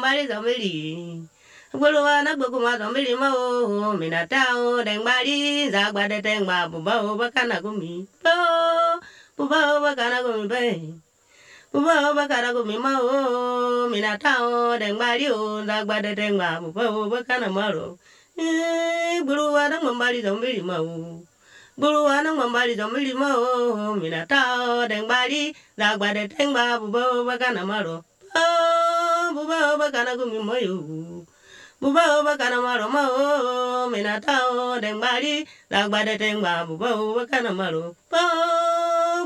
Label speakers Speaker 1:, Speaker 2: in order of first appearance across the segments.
Speaker 1: bali zombili. Buluana bukuma zombili mo minatao deng bali zagwa de teng ba buba bakana gumi. Buba bakana gumi be. Buba bakana gumi mo minatao deng bali zagwa de teng ba buba bakana maro. Buluana mambali zombili mo. Buluana mambali zombili mo minatao deng bali zagwa de teng ba buba bakana maro. Buba bakana gumi mo yo. Buba bakana maro mo minatao deng bali zagwa de teng ba buba bakana maro.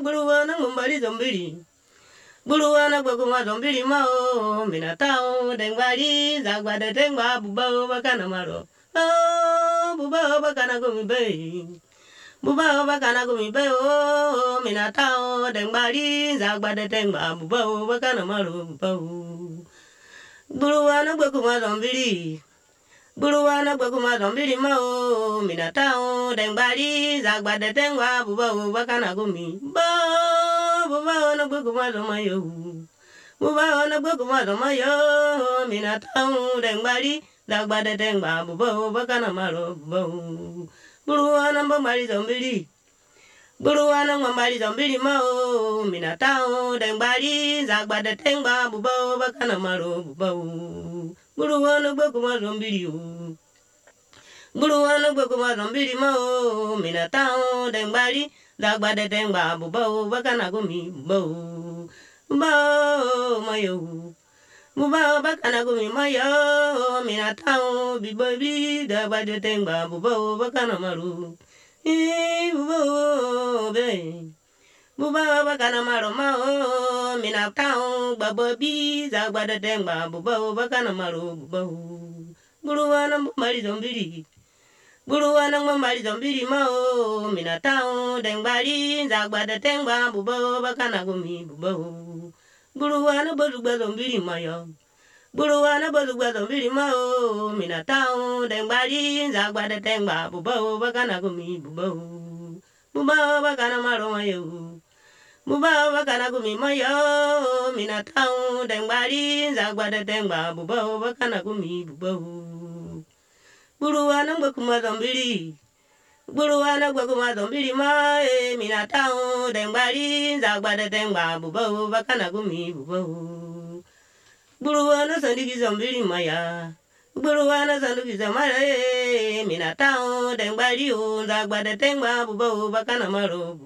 Speaker 1: Buluana mambali zombili. Buluana bakuma zombili mo minatao deng bali zagwa de teng ba buba bakana maro. Buba bakana gumi be. Buba bakana gumi be o minatao deng bali zagwa de teng ba buba bakana maro. Buluana bakuma zombili. Buluana bakuma zombili mo minatao deng bali zagwa de teng ba buba bakana gumi. Buba na bakuma zomayo. Buba na bakuma zomayo minatao deng bali zagwa de teng ba buba bakana maro. Buluana mambali zombili. Buluana mambali zombili mo minatao deng bali zagwa de teng ba buba bakana maro. Buluana bakuma zombili yo. Buluana bakuma zombili mo minatao deng bali zagwa de teng ba buba bakana gumi. Mayo. Buba bakana gumi mayo minatao bibabi zagwa de teng ba buba bakana maro. Buba be. Buba bakana maro mao minatao bababi zagwa de teng ba buba bakana maro. Buluana mambali zombili. Buluana mambali zombili mao minatao deng bali zagwa de teng ba buba bakana gumi. Buluana bazugwa zombili mayo. Buluana bazugwa zombili mao minatao deng bali zagwa de teng ba buba bakana gumi. Buba bakana maro mayo. Buba bakana gumi mayo minatao deng bali zagwa de teng ba buba bakana gumi. Buluana bakuma zombili. Buluana bakuma zombili ma minatao deng bali zagwa de teng ba buba bakana gumi. Buluana sandiki zombili maya. Buluana sandiki zamara minatao deng bali zagwa de teng ba buba bakana maro.